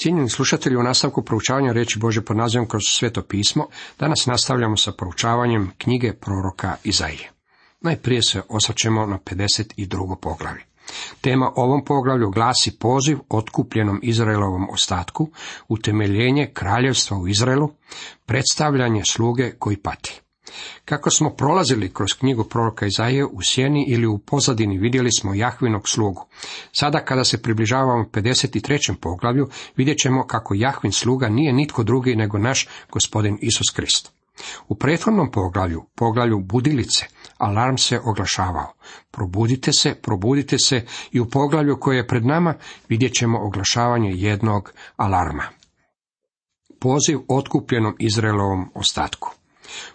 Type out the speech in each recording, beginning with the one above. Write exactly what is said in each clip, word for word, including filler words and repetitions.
Cijenjeni slušatelji, u nastavku proučavanja riječi Božje pod nazivom Kroz sveto pismo, danas nastavljamo sa proučavanjem knjige proroka Izaije. Najprije se osvrćemo na pedeset drugo poglavlje. Tema ovom poglavlju glasi poziv otkupljenom Izraelovom ostatku, utemeljenje kraljevstva u Izraelu, predstavljanje sluge koji pati. Kako smo prolazili kroz knjigu proroka Izaije, u sjeni ili u pozadini vidjeli smo Jahvinog slugu. Sada kada se približavamo pedeset trećem poglavlju, vidjet ćemo kako Jahvin sluga nije nitko drugi nego naš Gospodin Isus Krist. U prethodnom poglavlju, poglavlju budilice, alarm se oglašavao. Probudite se, probudite se, i u poglavlju koje je pred nama vidjet ćemo oglašavanje jednog alarma. Poziv otkupljenom Izraelovom ostatku.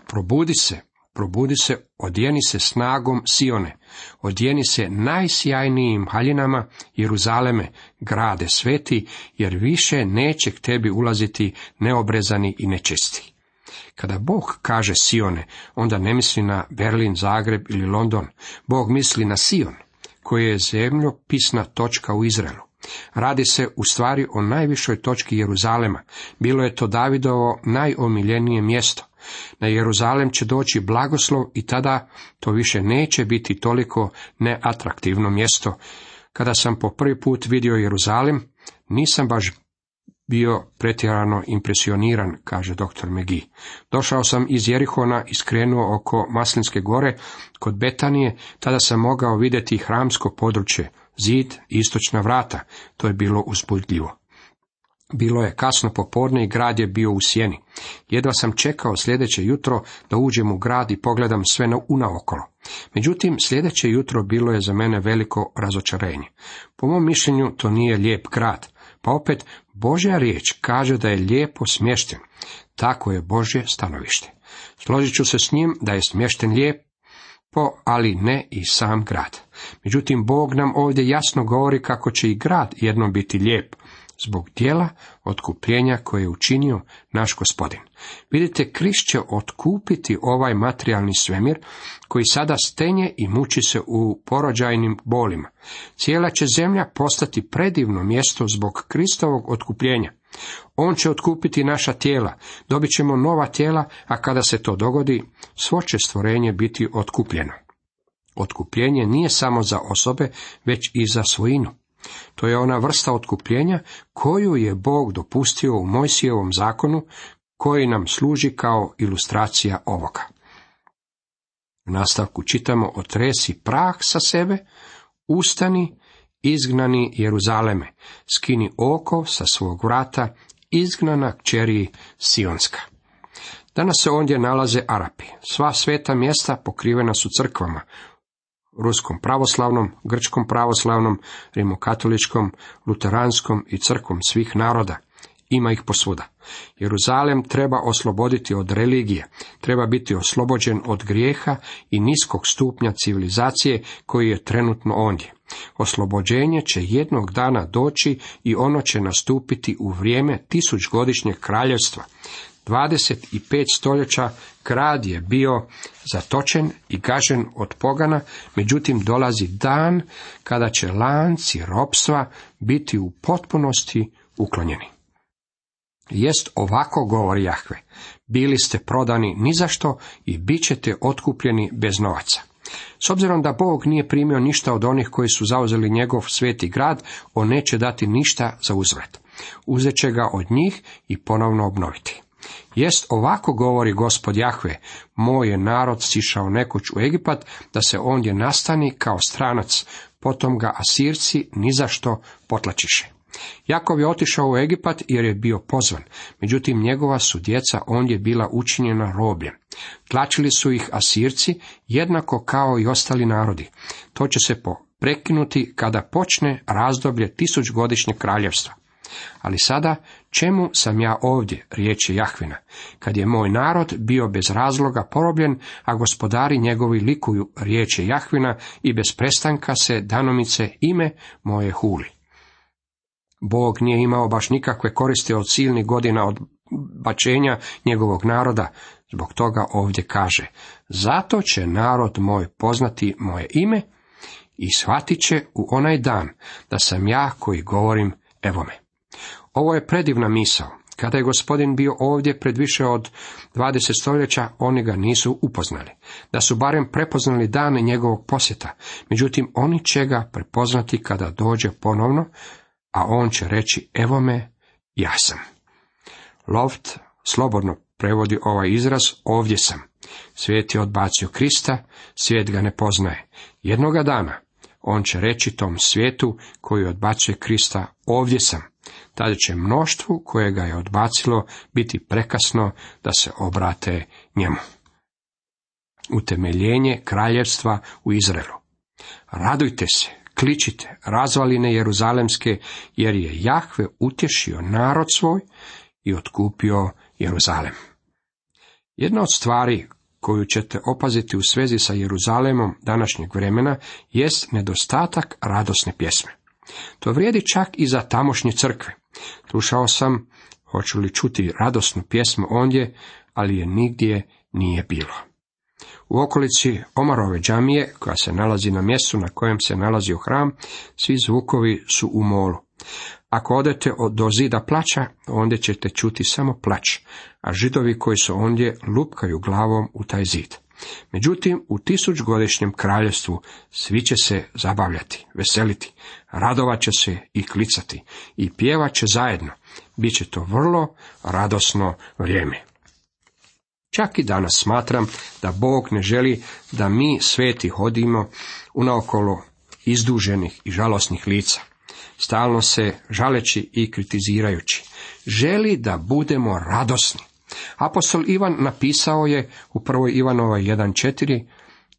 Probudi se, probudi se, odjeni se snagom Sione, odjeni se najsjajnijim haljinama Jeruzaleme, grade sveti, jer više neće k tebi ulaziti neobrezani i nečisti. Kada Bog kaže Sione, onda ne misli na Berlin, Zagreb ili London. Bog misli na Sion, koji je zemljopisna točka u Izraelu. Radi se u stvari o najvišoj točki Jeruzalema. Bilo je to Davidovo najomiljenije mjesto. Na Jeruzalem će doći blagoslov i tada to više neće biti toliko neatraktivno mjesto. Kada sam po prvi put vidio Jeruzalem, nisam baš bio pretjerano impresioniran, kaže doktor McGee. Došao sam iz Jerihona i skrenuo oko Maslinske gore kod Betanije, tada sam mogao vidjeti hramsko područje, zid i istočna vrata. To je bilo uzbudljivo. Bilo je kasno popodne i grad je bio u sjeni. Jedva sam čekao sljedeće jutro da uđem u grad i pogledam sve unaokolo. Međutim, sljedeće jutro bilo je za mene veliko razočarenje. Po mom mišljenju to nije lijep grad. Pa opet, Božja riječ kaže da je lijepo smješten. Tako je Božje stanovište. Složit ću se s njim da je smješten lijepo, ali ne i sam grad. Međutim, Bog nam ovdje jasno govori kako će i grad jednom biti lijep, zbog djela otkupljenja koje je učinio naš Gospodin. Vidite, Krist će otkupiti ovaj materijalni svemir koji sada stenje i muči se u porođajnim bolima. Cijela će zemlja postati predivno mjesto zbog Kristovog otkupljenja. On će otkupiti naša tijela, dobit ćemo nova tijela, a kada se to dogodi, svo će stvorenje biti otkupljeno. Otkupljenje nije samo za osobe, već i za svojinu. To je ona vrsta otkupljenja koju je Bog dopustio u Mojsijevom zakonu, koji nam služi kao ilustracija ovoga. U nastavku čitamo: otresi prah sa sebe, ustani, izgnani Jeruzaleme, skini oko sa svog vrata, izgnana kćeri Sionska. Danas se ondje nalaze Arapi. Sva sveta mjesta pokrivena su crkvama, ruskom pravoslavnom, grčkom pravoslavnom, rimokatoličkom, luteranskom i crkvom svih naroda. Ima ih posvuda. Jeruzalem treba osloboditi od religije, treba biti oslobođen od grijeha i niskog stupnja civilizacije koji je trenutno ondje. Oslobođenje će jednog dana doći i ono će nastupiti u vrijeme tisućgodišnjeg kraljevstva. dvadeset pet stoljeća grad je bio zatočen i gažen od pogana, međutim dolazi dan kada će lanci ropstva biti u potpunosti uklonjeni. Jest ovako govori Jahve: bili ste prodani nizašto i bit ćete otkupljeni bez novaca. S obzirom da Bog nije primio ništa od onih koji su zauzeli njegov sveti grad, on neće dati ništa za uzvrat. Uzet će ga od njih i ponovno obnoviti. Jest ovako govori Gospod Jahve: moj je narod sišao nekoć u Egipat, da se ondje nastani kao stranac, potom ga Asirci nizašto potlačiše. Jakov je otišao u Egipat jer je bio pozvan, međutim njegova su djeca ondje bila učinjena robljem. Tlačili su ih Asirci jednako kao i ostali narodi. To će se prekinuti kada počne razdoblje tisućgodišnjeg kraljevstva. Ali sada, čemu sam ja ovdje, riječ je Jahvina, kad je moj narod bio bez razloga porobljen, a gospodari njegovi likuju, riječ je Jahvina, i bez prestanka se danomice ime moje huli. Bog nije imao baš nikakve koristi od silnih godina odbačenja njegovog naroda, zbog toga ovdje kaže: zato će narod moj poznati moje ime i shvatit će u onaj dan da sam ja koji govorim evo me. Ovo je predivna misao. Kada je Gospodin bio ovdje pred više od dvadeset stoljeća, oni ga nisu upoznali. Da su barem prepoznali dane njegovog posjeta. Međutim, oni će ga prepoznati kada dođe ponovno, a on će reći, evo me, ja sam. Loft slobodno prevodi ovaj izraz, ovdje sam. Svijet je odbacio Krista, svijet ga ne poznaje. Jednoga dana on će reći tom svijetu koji odbacuje Krista, ovdje sam. Tada će mnoštvu koje ga je odbacilo biti prekasno da se obrate njemu. Utemeljenje kraljevstva u Izraelu. Radujte se, kličite, razvaline Jeruzalemske, jer je Jahve utješio narod svoj i otkupio Jeruzalem. Jedna od stvari koju ćete opaziti u svezi sa Jeruzalemom današnjeg vremena jest nedostatak radosne pjesme. To vrijedi čak i za tamošnje crkve. Slušao sam, hoću li čuti radosnu pjesmu ondje, ali je nigdje nije bilo. U okolici Omarove džamije, koja se nalazi na mjestu na kojem se nalazio hram, svi zvukovi su u molu. Ako odete do zida plača, ondje ćete čuti samo plać, a Židovi koji su ondje lupkaju glavom u taj zid. Međutim, u tisućgodišnjem kraljevstvu svi će se zabavljati, veseliti, radovat će se i klicati i pjevat će zajedno. Biće to vrlo radosno vrijeme. Čak i danas smatram da Bog ne želi da mi sveti hodimo unaokolo izduženih i žalosnih lica, stalno se žaleći i kritizirajući. Želi da budemo radosni. Apostol Ivan napisao je u prvoj Ivanovoj jedan četiri,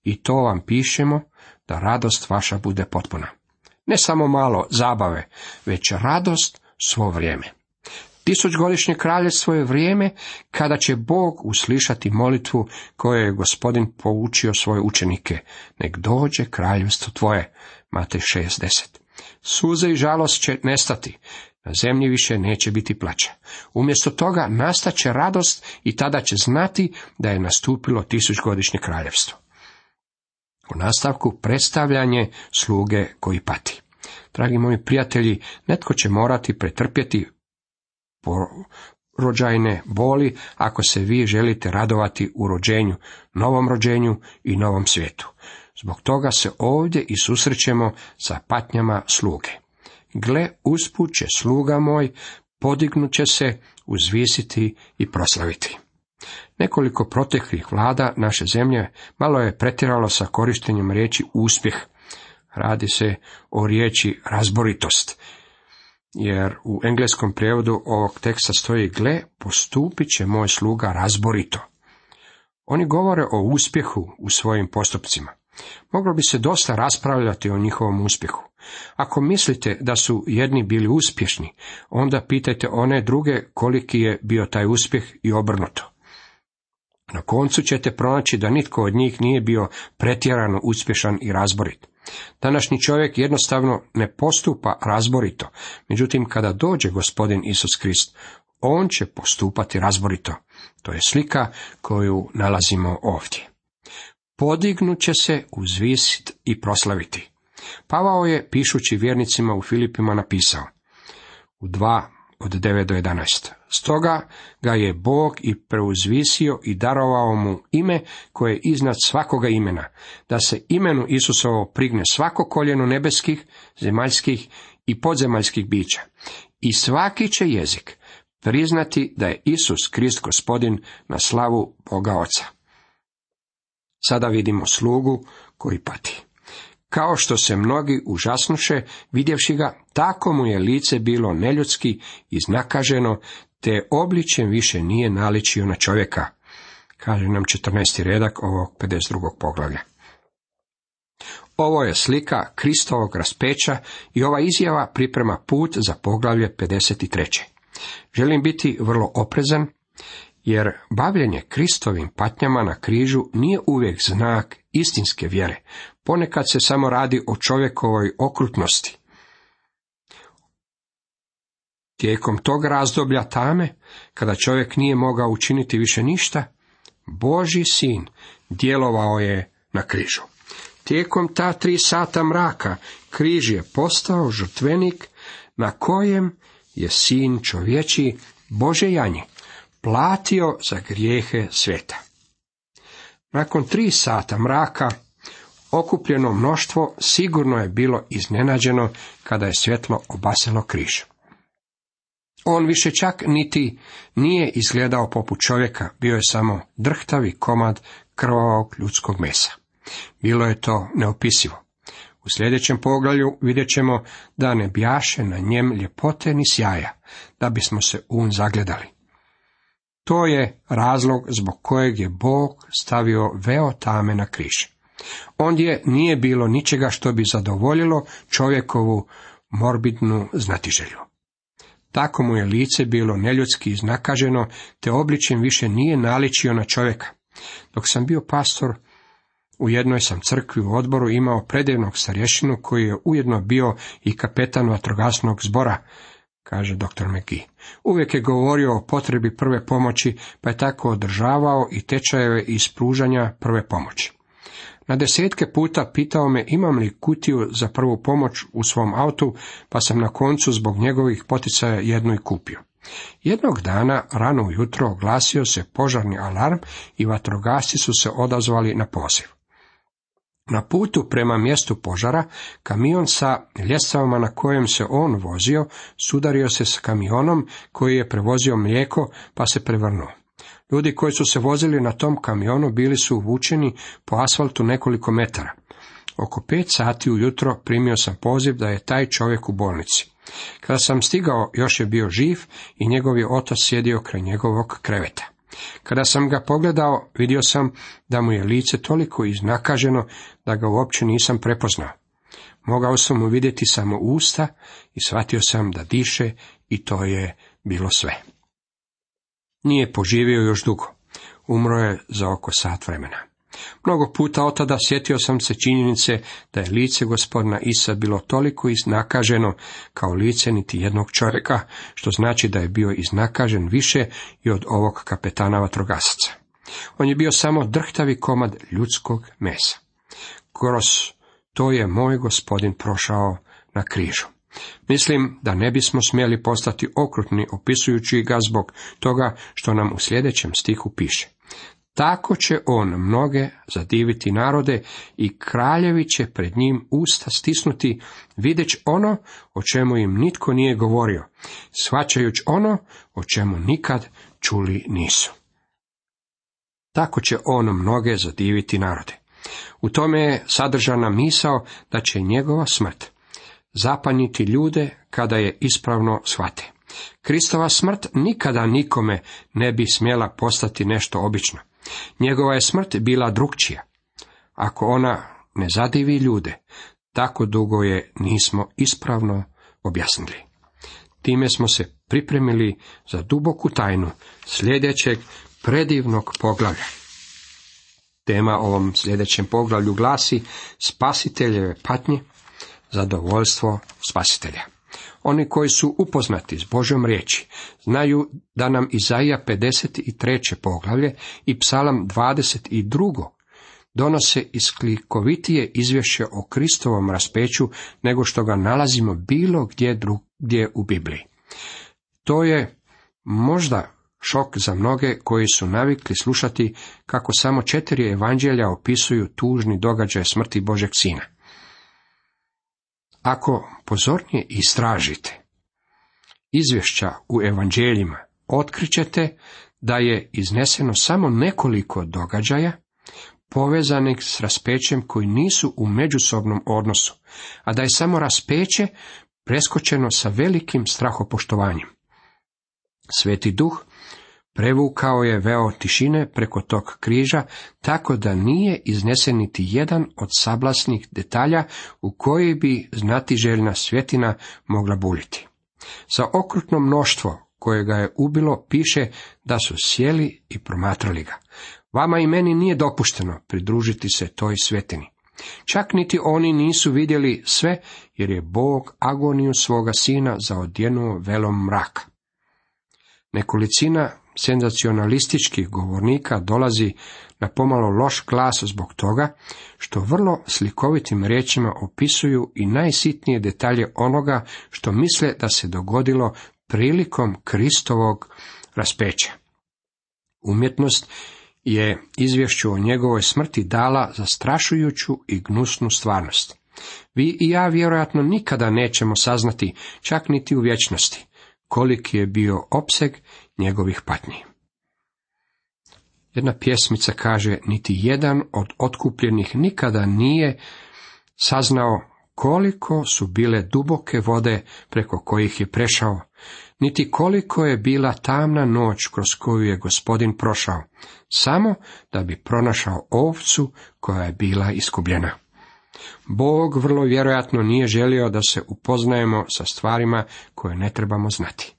i to vam pišemo da radost vaša bude potpuna. Ne samo malo zabave, već radost svo vrijeme. Tisućgodišnje kraljevstvo je vrijeme kada će Bog uslišati molitvu koju je Gospodin poučio svoje učenike. Nek dođe kraljevstvo tvoje. Matej šest deset. Suze i žalost će nestati. Na zemlji više neće biti plača. Umjesto toga nastaće radost i tada će znati da je nastupilo tisućgodišnje kraljevstvo. U nastavku predstavljanje sluge koji pati. Dragi moji prijatelji, netko će morati pretrpjeti porođajne boli ako se vi želite radovati u rođenju, novom rođenju i novom svijetu. Zbog toga se ovdje i susrećemo sa patnjama sluge. Gle, usput će sluga moj, podignut će se, uzvisiti i proslaviti. Nekoliko proteklih vlada naše zemlje malo je pretjeralo sa korištenjem riječi uspjeh. Radi se o riječi razboritost, jer u engleskom prijevodu ovog teksta stoji, gle, postupit će moj sluga razborito. Oni govore o uspjehu u svojim postupcima. Moglo bi se dosta raspravljati o njihovom uspjehu. Ako mislite da su jedni bili uspješni, onda pitajte one druge koliki je bio taj uspjeh i obrnuto. Na koncu ćete pronaći da nitko od njih nije bio pretjerano uspješan i razborit. Današnji čovjek jednostavno ne postupa razborito, međutim kada dođe Gospodin Isus Krist, on će postupati razborito. To je slika koju nalazimo ovdje. Podignut će se, uzvisit i proslaviti. Pavao je, pišući vjernicima u Filipima, napisao u dva od devet do jedanaest. Stoga ga je Bog i preuzvisio i darovao mu ime koje je iznad svakoga imena, da se imenu Isusovo prigne svako koljeno nebeskih, zemaljskih i podzemaljskih bića. I svaki će jezik priznati da je Isus Krist Gospodin na slavu Boga Oca. Sada vidimo slugu koji pati. Kao što se mnogi užasnuše vidjevši ga, tako mu je lice bilo neljudski, iznakaženo, te obličjem više nije naličio na čovjeka, kaže nam četrnaesti redak ovog pedeset drugog poglavlja. Ovo je slika Kristovog raspeća i ova izjava priprema put za poglavlje pedeset tri. Želim biti vrlo oprezan, jer bavljenje Kristovim patnjama na križu nije uvijek znak istinske vjere. Ponekad se samo radi o čovjekovoj okrutnosti. Tijekom tog razdoblja tame, kada čovjek nije mogao učiniti više ništa, Božji sin djelovao je na križu. Tijekom ta tri sata mraka križ je postao žrtvenik na kojem je sin čovječiji, Božje janje, platio za grijehe svijeta. Nakon tri sata mraka, okupljeno mnoštvo sigurno je bilo iznenađeno kada je svjetlo obasjalo križ. On više čak niti nije izgledao poput čovjeka, bio je samo drhtavi komad krvavog ljudskog mesa. Bilo je to neopisivo. U sljedećem poglavlju vidjet ćemo da ne bjaše na njem ljepote ni sjaja, da bismo se un zagledali. To je razlog zbog kojeg je Bog stavio veo tame na križ. Ondje nije bilo ničega što bi zadovoljilo čovjekovu morbidnu znatiželju. Tako mu je lice bilo neljudski iznakaženo, te obličjem više nije naličio na čovjeka. Dok sam bio pastor, u jednoj sam crkvi u odboru imao predivnog starješinu koji je ujedno bio i kapetan vatrogasnog zbora, kaže doktor McGee. Uvijek je govorio o potrebi prve pomoći, pa je tako održavao i tečajeve iz pružanja prve pomoći. Na desetke puta pitao me imam li kutiju za prvu pomoć u svom autu, pa sam na koncu zbog njegovih poticaja jednu i kupio. Jednog dana, rano ujutro, oglasio se požarni alarm i vatrogasci su se odazvali na poziv. Na putu prema mjestu požara, kamion sa ljestvama na kojem se on vozio, sudario se s kamionom koji je prevozio mlijeko, pa se prevrnuo. Ljudi koji su se vozili na tom kamionu bili su uvučeni po asfaltu nekoliko metara. Oko pet sati ujutro primio sam poziv da je taj čovjek u bolnici. Kada sam stigao, još je bio živ i njegov je otac sjedio kraj njegovog kreveta. Kada sam ga pogledao, vidio sam da mu je lice toliko iznakaženo da ga uopće nisam prepoznao. Mogao sam mu vidjeti samo usta i shvatio sam da diše i to je bilo sve. Nije poživio još dugo. Umro je za oko sat vremena. Mnogo puta od tada sjetio sam se činjenice da je lice gospodina Isa bilo toliko iznakaženo kao lice niti jednog čovjeka, što znači da je bio iznakažen više i od ovog kapetana vatrogasaca. On je bio samo drhtavi komad ljudskog mesa. Kroz to je moj gospodin prošao na križu. Mislim da ne bismo smjeli postati okrutni opisujući ga zbog toga što nam u sljedećem stihu piše. Tako će on mnoge zadiviti narode i kraljevi će pred njim usta stisnuti, vidjeć ono o čemu im nitko nije govorio, shvaćajući ono o čemu nikad čuli nisu. Tako će on mnoge zadiviti narode. U tome je sadržana misao da će njegova smrt zapanjiti ljude kada je ispravno shvate. Kristova smrt nikada nikome ne bi smjela postati nešto obično. Njegova je smrt bila drukčija. Ako ona ne zadivi ljude, tako dugo je nismo ispravno objasnili. Time smo se pripremili za duboku tajnu sljedećeg predivnog poglavlja. Tema ovom sljedećem poglavlju glasi Spasiteljeve patnje, zadovoljstvo spasitelja. Oni koji su upoznati s Božjom riječi znaju da nam Izaija pedeset treće poglavlje i Psalam dvadeset drugo donose isklikovitije izvješće o Kristovom raspeću nego što ga nalazimo bilo gdje drugdje u Bibliji. To je možda šok za mnoge koji su navikli slušati kako samo četiri evanđelja opisuju tužni događaj smrti Božjeg sina. Ako pozornije istražite izvješća u evanđeljima, otkrićete da je izneseno samo nekoliko događaja povezanih s raspećem koji nisu u međusobnom odnosu, a da je samo raspeće preskočeno sa velikim strahopoštovanjem. Sveti Duh prevukao je veo tišine preko tog križa, tako da nije iznesen niti jedan od sablasnih detalja u koji bi znatiželjna svjetina mogla buljiti. Za okrutno mnoštvo koje ga je ubilo piše da su sjeli i promatrali ga. Vama i meni nije dopušteno pridružiti se toj svjetini. Čak niti oni nisu vidjeli sve, jer je Bog agoniju svoga sina zaodjenuo velom mraka. Nekolicina senzacionalističkih govornika dolazi na pomalo loš glas zbog toga što vrlo slikovitim riječima opisuju i najsitnije detalje onoga što misle da se dogodilo prilikom Kristovog raspeća. Umjetnost je izvješću o njegovoj smrti dala zastrašujuću i gnusnu stvarnost. Vi i ja vjerojatno nikada nećemo saznati, čak niti u vječnosti, koliki je bio opseg njegovih patnji. Jedna pjesmica kaže, niti jedan od otkupljenih nikada nije saznao koliko su bile duboke vode preko kojih je prešao, niti koliko je bila tamna noć kroz koju je Gospodin prošao, samo da bi pronašao ovcu koja je bila iskubljena. Bog vrlo vjerojatno nije želio da se upoznajemo sa stvarima koje ne trebamo znati.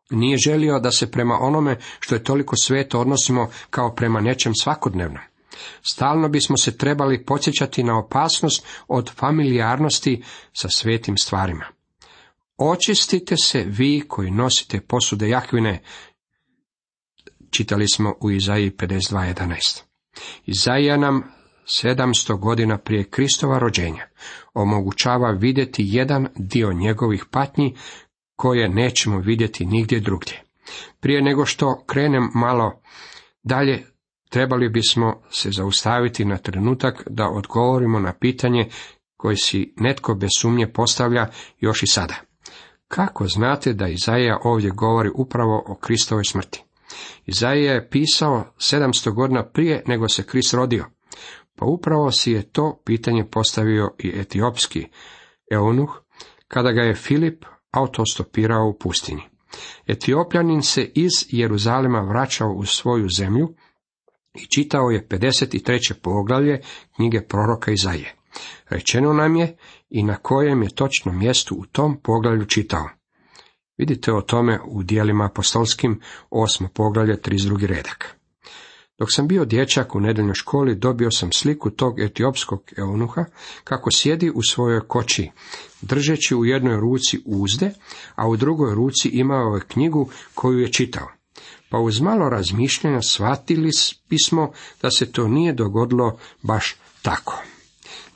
Nije želio da se prema onome što je toliko sveto odnosimo kao prema nečem svakodnevnom. Stalno bismo se trebali podsjećati na opasnost od familijarnosti sa svetim stvarima. Očistite se vi koji nosite posude Jahvine, čitali smo u Izaiji pedeset dva jedanaest. Izaija nam sedamsto godina prije Kristova rođenja omogućava vidjeti jedan dio njegovih patnji koje nećemo vidjeti nigdje drugdje. Prije nego što krenem malo dalje, trebali bismo se zaustaviti na trenutak da odgovorimo na pitanje koje si netko bez sumnje postavlja još i sada. Kako znate da Izaija ovdje govori upravo o Kristovoj smrti? Izaija je pisao sedamsto godina prije nego se Krist rodio. Pa upravo si je to pitanje postavio i etiopski eunuh, kada ga je Filip autostopirao u pustinji. Etiopljanin se iz Jeruzalema vraćao u svoju zemlju i čitao je pedeset treće poglavlje knjige proroka Izaije. Rečeno nam je i na kojem je točno mjestu u tom poglavlju čitao. Vidite o tome u Djelima apostolskim, osmo poglavlje, trideset drugi redak. Dok sam bio dječak u nedeljnoj školi, dobio sam sliku tog etiopskog eunuha kako sjedi u svojoj koči, držeći u jednoj ruci uzde, a u drugoj ruci imao je knjigu koju je čitao. Pa uz malo razmišljanja shvatili bismo da se to nije dogodilo baš tako.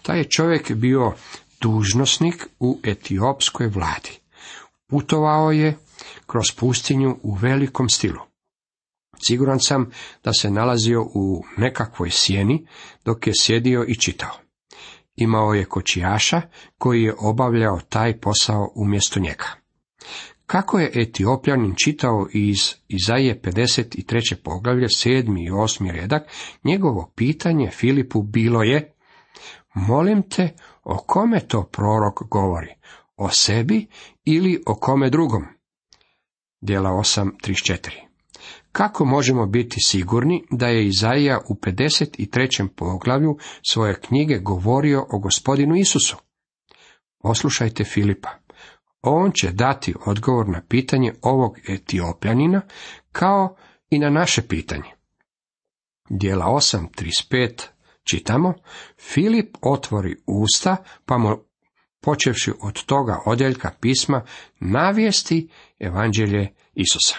Taj je čovjek bio dužnosnik u etiopskoj vladi. Putovao je kroz pustinju u velikom stilu. Siguran sam da se nalazio u nekakvoj sjeni dok je sjedio i čitao. Imao je kočijaša koji je obavljao taj posao umjesto njega. Kako je Etiopljanin čitao iz Izaije pedeset treće poglavlje, sedmi i osmi redak, njegovo pitanje Filipu bilo je: molim te, o kome to prorok govori? O sebi ili o kome drugom? Djela osam trideset četiri. Kako možemo biti sigurni da je Izaija u pedeset trećem poglavlju svoje knjige govorio o Gospodinu Isusu? Poslušajte Filipa. On će dati odgovor na pitanje ovog Etiopljanina kao i na naše pitanje. Djela osam trideset pet čitamo: Filip otvori usta, pa mu, počevši od toga odjeljka pisma, navijesti evanđelje Isusa.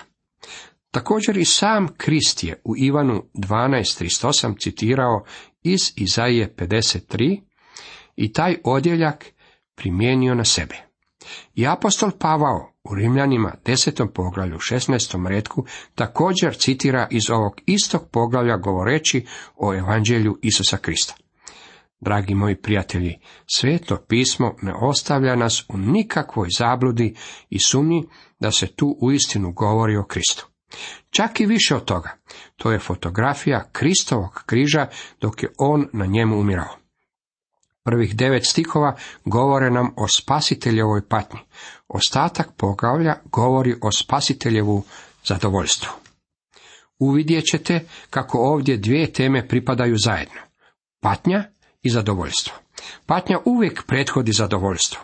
Također i sam Krist je u Ivanu dvanaest trideset osam citirao iz Izaije pedeset tri i taj odjeljak primijenio na sebe. I apostol Pavao u Rimljanima desetom poglavlju šesnaestom retku također citira iz ovog istog poglavlja govoreći o evanđelju Isusa Krista. Dragi moji prijatelji, Sveto pismo ne ostavlja nas u nikakvoj zabludi i sumnji da se tu uistinu govori o Kristu. Čak i više od toga, to je fotografija Kristovog križa dok je on na njemu umirao. Prvih devet stihova govore nam o spasiteljevoj patnji. Ostatak poglavlja govori o spasiteljevu zadovoljstvu. Uvidjet ćete kako ovdje dvije teme pripadaju zajedno. Patnja i zadovoljstvo. Patnja uvijek prethodi zadovoljstvo.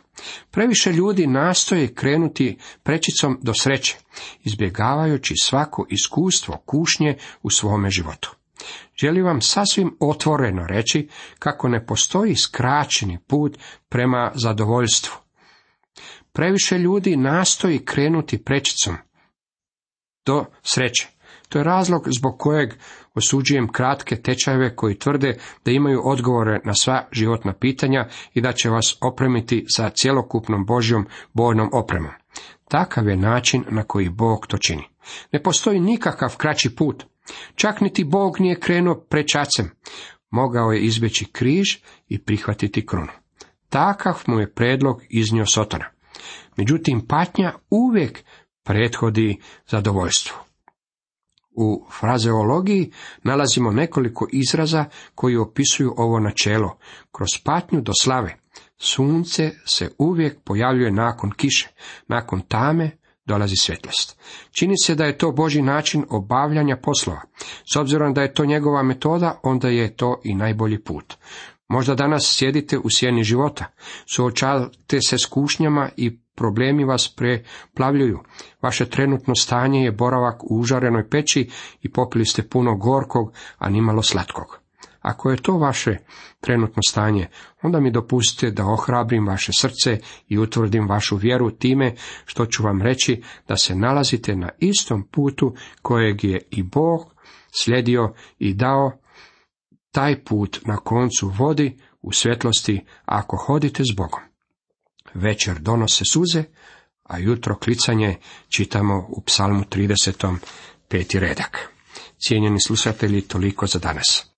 Previše ljudi nastoje krenuti prečicom do sreće, izbjegavajući svako iskustvo kušnje u svome životu. Želim vam sasvim otvoreno reći kako ne postoji skraćeni put prema zadovoljstvu. Previše ljudi nastoji krenuti prečicom do sreće. To je razlog zbog kojeg osuđujem kratke tečajeve koji tvrde da imaju odgovore na sva životna pitanja i da će vas opremiti sa cjelokupnom Božjom bojnom opremom. Takav je način na koji Bog to čini. Ne postoji nikakav kraći put. Čak niti Bog nije krenuo prečacem. Mogao je izbjeći križ i prihvatiti krunu. Takav mu je predlog iznio Sotona. Međutim, patnja uvijek prethodi zadovoljstvu. U frazeologiji nalazimo nekoliko izraza koji opisuju ovo načelo. Kroz patnju do slave. Sunce se uvijek pojavljuje nakon kiše, nakon tame dolazi svjetlost. Čini se da je to Božji način obavljanja poslova. S obzirom da je to njegova metoda, onda je to i najbolji put. Možda danas sjedite u sjeni života, suočavate se s kušnjama i problemi vas preplavljuju. Vaše trenutno stanje je boravak u užarenoj peći i popili ste puno gorkog, a nimalo slatkog. Ako je to vaše trenutno stanje, onda mi dopustite da ohrabrim vaše srce i utvrdim vašu vjeru time što ću vam reći da se nalazite na istom putu kojeg je i Bog slijedio i dao. Taj put na koncu vodi u svjetlosti ako hodite s Bogom. Večer donose suze, a jutro klicanje, čitamo u Psalmu tridesetom peti redak. Cijenjeni slušatelji, toliko za danas.